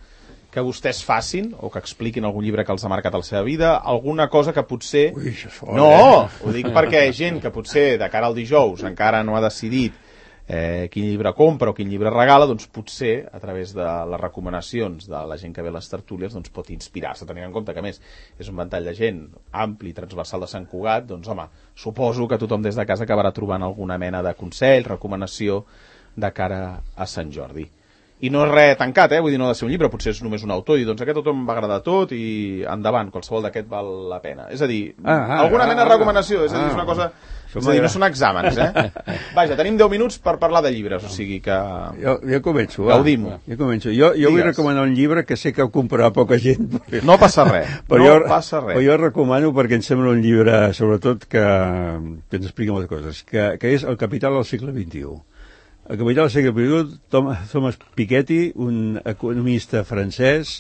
que vostès facin, o que expliquin algun llibre que els ha marcat a la seva vida, alguna cosa que potser... Ui, això és fort, no, eh? ho dic perquè gent que potser de cara al dijous encara no ha decidit eh, quin llibre compra o quin llibre regala, doncs potser a través de les recomanacions de la gent que ve a les tertúlies doncs pot inspirar-se, tenint en compte que a més és un ventall de gent ampli, transversal de Sant Cugat, doncs home, suposo que tothom des de casa acabarà trobant alguna mena de consell, recomanació de cara a Sant Jordi. I no és res tancat, eh? Vull dir, no ha de ser un llibre, potser és només un autor, i doncs aquest autor em va agradar tot i endavant, qualsevol d'aquest val la pena. És a dir, ah, ah, alguna mena de recomanació, és a dir, és una cosa... És a dir, no són exàmens, eh? Vaja, tenim deu minuts per parlar de llibres, o sigui que... Jo, jo començo, va. Gaudim-ho. Jo començo. Jo, jo vull recomanar un llibre que sé que ho comprarà poca gent. Perquè... No passa res, però no jo, passa res. Però jo recomano perquè em sembla un llibre, sobretot, que, que ens explica moltes coses, que, que és El capital del segle vint-i-u. El capital del segle vint-i-u, Thomas Piketty, un economista francès,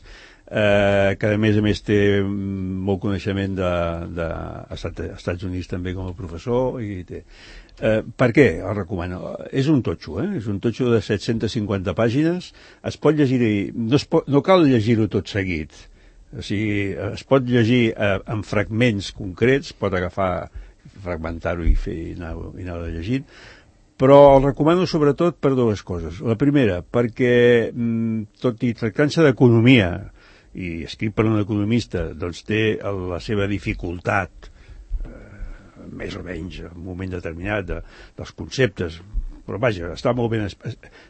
eh, que a més a més té molt coneixement de, de Estats Units també com a professor. I té. Eh, per què el recomano? És un totxo, eh? És un totxo de set-centes cinquanta pàgines. Es pot llegir, no, es pot, no cal llegir-ho tot seguit. O sigui, es pot llegir eh, en fragments concrets, pot agafar, fragmentar-ho i fer i anar, i anar llegint. Però el recomano sobretot per dues coses. La primera, perquè tot i tractant-se d'economia, i escrit per un economista, doncs té la seva dificultat, eh, més o menys, en un moment determinat, de, dels conceptes, però vaja, està molt ben,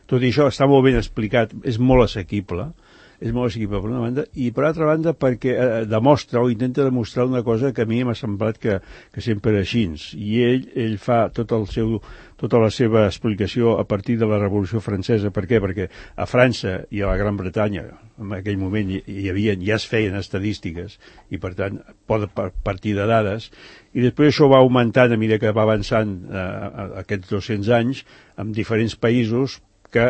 tot i això està molt ben explicat, és molt assequible, és molt assequible per una banda, i per altra banda perquè eh, demostra o intenta demostrar una cosa que a mi m'ha semblat que, que sempre era així, i ell, ell fa tot el seu, tota la seva explicació a partir de la Revolució Francesa. Per què? Perquè a França i a la Gran Bretanya en aquell moment hi, hi havia, ja es feien estadístiques i per tant pot partir de dades, i després això va augmentant a mesura que va avançant eh, aquests dos-cents anys en diferents països que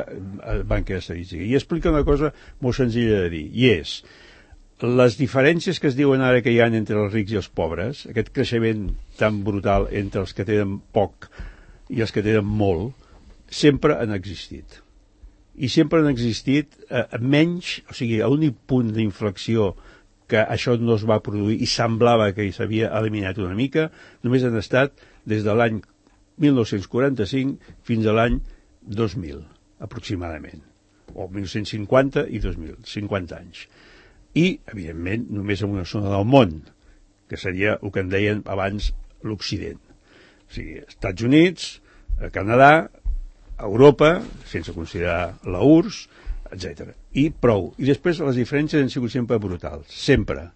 van quedar estadístiques. I explica una cosa molt senzilla de dir, i és, les diferències que es diuen ara que hi ha entre els rics i els pobres, aquest creixement tan brutal entre els que tenen poc i els que tenen molt, sempre han existit. I sempre han existit eh, menys, o sigui, l'únic punt d'inflexió que això no es va produir i semblava que s'havia eliminat una mica, només han estat des de l'any mil nou-cents quaranta-cinc fins a l'any dos mil. Aproximadament, o mil nou-cents cinquanta i dos mil, cinquanta anys. I, evidentment, només en una zona del món, que seria el que en deien abans l'Occident. O sigui, Estats Units, Canadà, Europa, sense considerar la U R S S, etcètera. I prou. I després les diferències han sigut sempre brutals, sempre.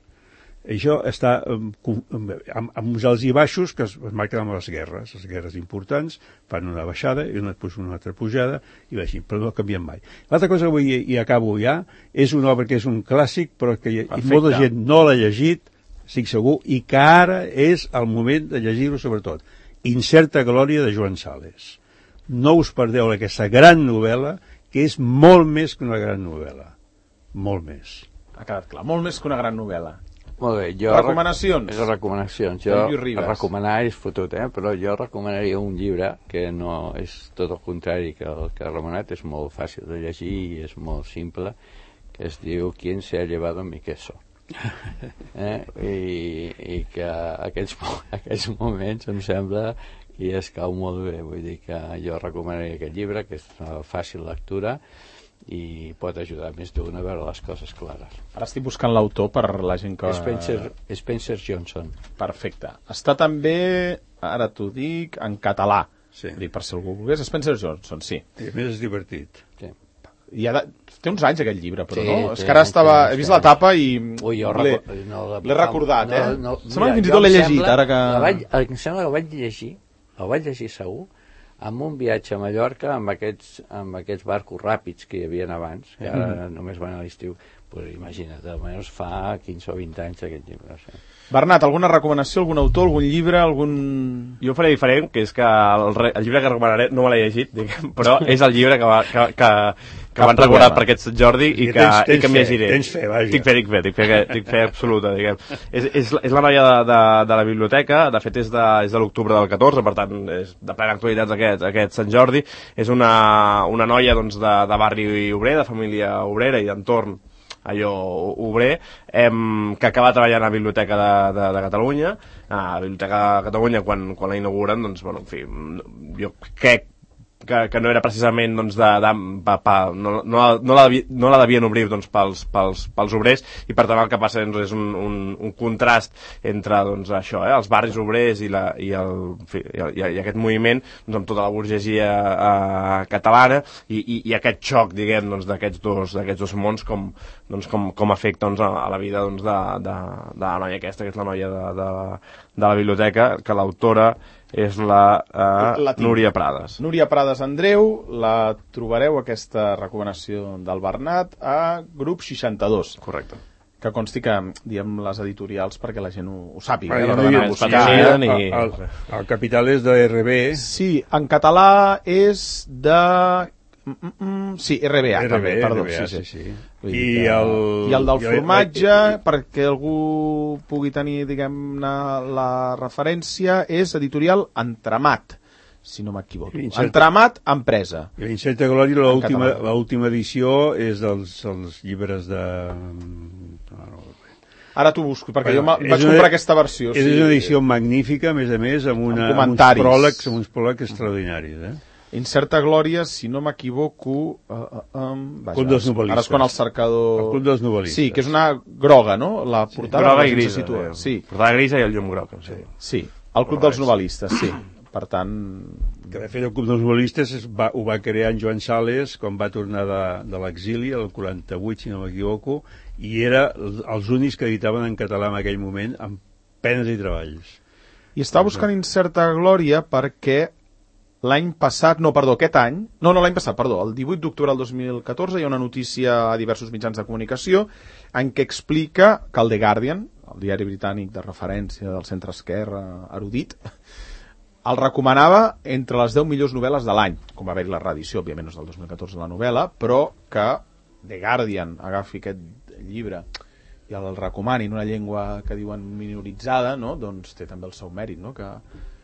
Això està amb, amb, amb uns alts i baixos que es, es marquen amb les guerres. Les guerres importants fan una baixada i una, després una altra pujada i va així, però no canvien mai. L'altra cosa que vull, i acabo ja, és una obra que és un clàssic però que hi, i molta gent no l'ha llegit, estic segur, i que ara és el moment de llegir-ho sobretot. Incerta glòria de Joan Sales. No us perdeu aquesta gran novel·la que és molt més que una gran novel·la. Molt més. Ha quedat clar, molt més que una gran novel·la. Molt bé, jo... Recomanacions. Rec recomanacions. Jo, recomanar és fotut, eh? Però jo recomanaria un llibre que no és tot el contrari que el que ha recomanat, és molt fàcil de llegir i és molt simple, que es diu ¿Quién se ha llevado mi queso? eh? I, i que aquests, aquests moments em sembla i es cau molt bé, vull dir que jo recomanaria aquest llibre, que és una fàcil lectura i pot ajudar més d'un a veure les coses clares. Ara estic buscant l'autor per la gent que... Spencer, Spencer Johnson. Perfecte. Està també, ara t'ho dic, en català. Sí. Dic, per si algú volgués, Spencer Johnson, sí. I a més és divertit. Sí. I ha de... Té uns anys aquest llibre, però sí, no? És que ara estava... He vist la tapa i Ui, l'he no, recordat, no, eh? no, no, sembla que fins i tot l'he llegit, sembla, ara que... Vaig, em sembla que el vaig llegir, el vaig llegir segur, amb un viatge a Mallorca amb aquests, amb aquests barcos ràpids que hi havia abans, que ara mm. només van a l'estiu. Pues imagina't, almenys fa quinze o vint anys aquest llibre. Sí. Bernat, alguna recomanació, algun autor, algun llibre, algun... Jo faré diferent, que és que el, el llibre que recomanaré no me l'he llegit, diguem, però és el llibre que, va, que, que, que van regular per aquest Sant Jordi i que, tens, tens i que m'hi llegiré. Tens fe, vaja. Tinc fe, tinc fe, tinc fe, tinc fe absoluta, diguem. És, és, és la noia de, de, de la biblioteca, de fet és de, és de l'octubre del catorze, per tant és de plena actualitat aquest, aquest Sant Jordi. És una, una noia doncs, de, de barri obrer, de família obrera i d'entorn allò obrer, em, que acaba treballant a la Biblioteca de, de, de Catalunya. A la Biblioteca de Catalunya, quan, quan la inauguren, doncs, bueno, en fi, jo crec que, que no era precisament doncs, de, de, pa, pa, no, no, no, la, no la devien obrir doncs, pels, pels, pels obrers, i per tant el que passa doncs, és un, un, un contrast entre doncs, això, eh, els barris obrers i, la, i, el, en fi, i, i aquest moviment doncs, amb tota la burgesia eh, catalana i, i, i aquest xoc diguem doncs, d'aquests dos, d'aquests dos mons com, doncs, com, com afecta doncs, a, a la vida doncs, de, de, de la noia aquesta, que és la noia de, de, de la biblioteca, que l'autora és la, uh, la Núria Prades. Núria Prades Andreu, la trobareu, aquesta recomanació del Bernat, a grup seixanta-dos. Correcte. Que consti que diem les editorials perquè la gent ho, ho sàpiga. Ah, eh, no, no, buscar, sí, eh? el, el, el capital és de R B. Sí, en català és de... Mm, mm, mm, sí, R B A, R B, també, perdó. R B A, sí, sí. sí, sí. I, I el, I el del i formatge, el, perquè algú pugui tenir, diguem-ne, la referència, és editorial Entramat, si no m'equivoco. Entramat Empresa. I l'Incerta Glòria, l'última edició, és dels, dels llibres de... Ara t'ho busco, perquè bueno, jo vaig una, comprar aquesta versió. És sí. una edició magnífica, a més a més, amb, una, amb, amb uns pròlegs, amb uns pròlegs extraordinaris, eh? Incerta Glòria, si no m'equivoco... Uh, uh, um, vaja, Club dels novel·listes. Ara és quan el cercador... El Club dels novel·listes. Sí, que és una groga, no? La portada sí, groga i grisa. Eh? Sí. Portada grisa i el llum groc. Sí, sí el Club dels novel·listes, sí. Per tant... Que de fet el Club dels novel·listes es va, ho va crear en Joan Sales quan va tornar de, de l'exili, el quaranta-vuit, si no m'equivoco, i era els únics que editaven en català en aquell moment, amb penes i treballs. I estava buscant Incerta Glòria perquè l'any passat, no, perdó, aquest any, no, no, l'any passat, perdó, el divuit d'octubre del dos mil catorze hi ha una notícia a diversos mitjans de comunicació en què explica que el The Guardian, el diari britànic de referència del centre-esquerra erudit, el recomanava entre les deu millors novel·les de l'any, com va haver-hi la reedició, òbviament no és del dos mil catorze la novel·la, però que The Guardian agafi aquest llibre i el recomani en una llengua que diuen minoritzada, no? Doncs té també el seu mèrit, no? Que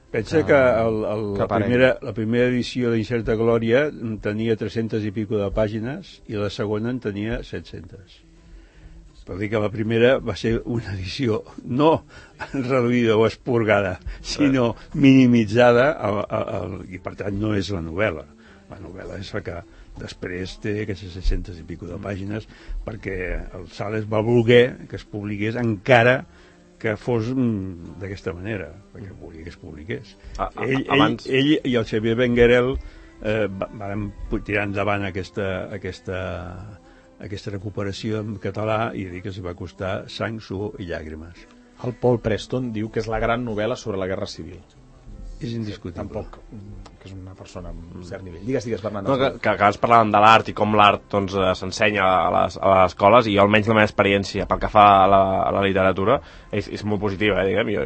Pensa que, que el, el, que la, primera, la primera edició d'Incerta Glòria tenia tres-centes i pico de pàgines i la segona en tenia set-centes. Per dir que la primera va ser una edició no reduïda o expurgada, sinó minimitzada al, al, al, i per tant no és la novel·la. La novel·la és la que després té aquestes set-centes i pico de pàgines perquè el Sales va voler que es publiqués encara que fos mm, d'aquesta manera, perquè volia que es publiqués. A, a, ell, abans... ell, ell i el Xavier Benguerel eh, van tirar endavant aquesta, aquesta, aquesta recuperació en català i dir que s'hi va costar sang, suor i llàgrimes. El Paul Preston diu que és la gran novel·la sobre la Guerra Civil. És indiscutible. Tampoc, que és una persona amb cert nivell. Digues, digues, Bernat. No, que, que abans parlàvem de l'art i com l'art doncs, s'ensenya a les, a les escoles i jo, almenys la meva experiència pel que fa a la, a la literatura és, és molt positiva, eh, diguem. Jo,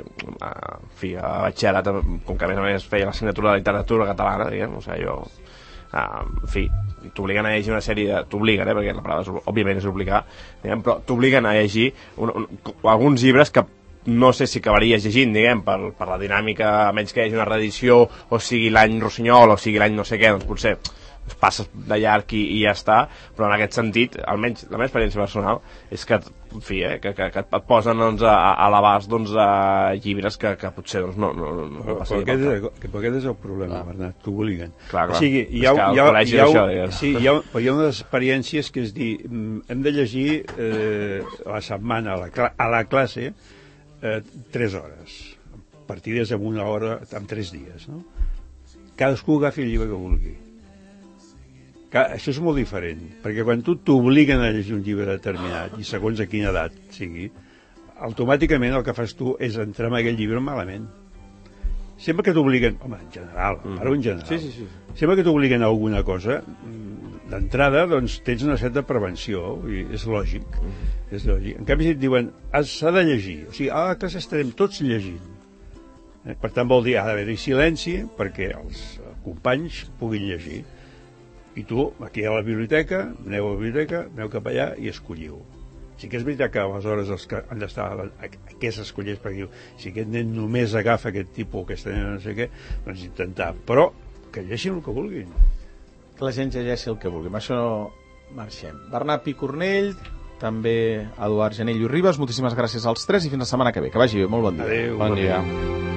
en fi, a batxillerat, com que a més a més feia l'assignatura de literatura catalana, diguem, o sigui, jo... Uh, en fi, t'obliguen a llegir una sèrie de... T'obliguen, eh, perquè la paraula és, òbviament és obligar, diguem, però t'obliguen a llegir un, un, alguns llibres que no sé si acabaries llegint, diguem, per, per la dinàmica, a menys que hi hagi una reedició o sigui l'any Rossinyol o sigui l'any no sé què, doncs potser es passes de llarg i, i ja està, però en aquest sentit, almenys la meva experiència personal és que, en fi, eh, que, que, que et posen doncs, a, a l'abast doncs, a llibres que, que potser doncs, no, no, no, no però, però, aquest és, però aquest és el problema, ah. Bernat, t'obliguen. Clar, clar. O sigui, hi ha, hi ha, hi ha, això, sí, hi ha, hi ha unes experiències que és dir, hem de llegir eh, a la setmana, a la, a la classe, Eh, tres hores, partides en una hora, en tres dies, no? Cadascú agafi el llibre que vulgui. Que, això és molt diferent, perquè quan tu t'obliguen a llegir un llibre determinat, i segons a quina edat sigui, automàticament el que fas tu és entrar en aquell llibre malament. Sempre que t'obliguen, home, en general, mm. parlo en general, sí, sí, sí. sempre que t'obliguen a alguna cosa, d'entrada, doncs, tens una certa prevenció, i és lògic, mm. és lògic. En canvi, si et diuen, s'ha de llegir, o sigui, a la classe estarem tots llegint. Eh? Per tant, vol dir, ha d'haver-hi silenci perquè els companys puguin llegir. I tu, aquí a la biblioteca, aneu a la biblioteca, aneu cap allà i escolliu. Sí que és veritat que aleshores els que han d'estar a què s'escolleix, perquè diu, si aquest nen només agafa aquest tipus, aquesta nena no sé què, doncs intentar, però que llegeixin el que vulguin. Que la gent llegeixi el que vulgui. Amb això marxem. Bernat Picornell, també Eduard Janell i Ribas, moltíssimes gràcies als tres i fins la setmana que ve. Que vagi bé, molt bon dia. Adéu. Bon dia.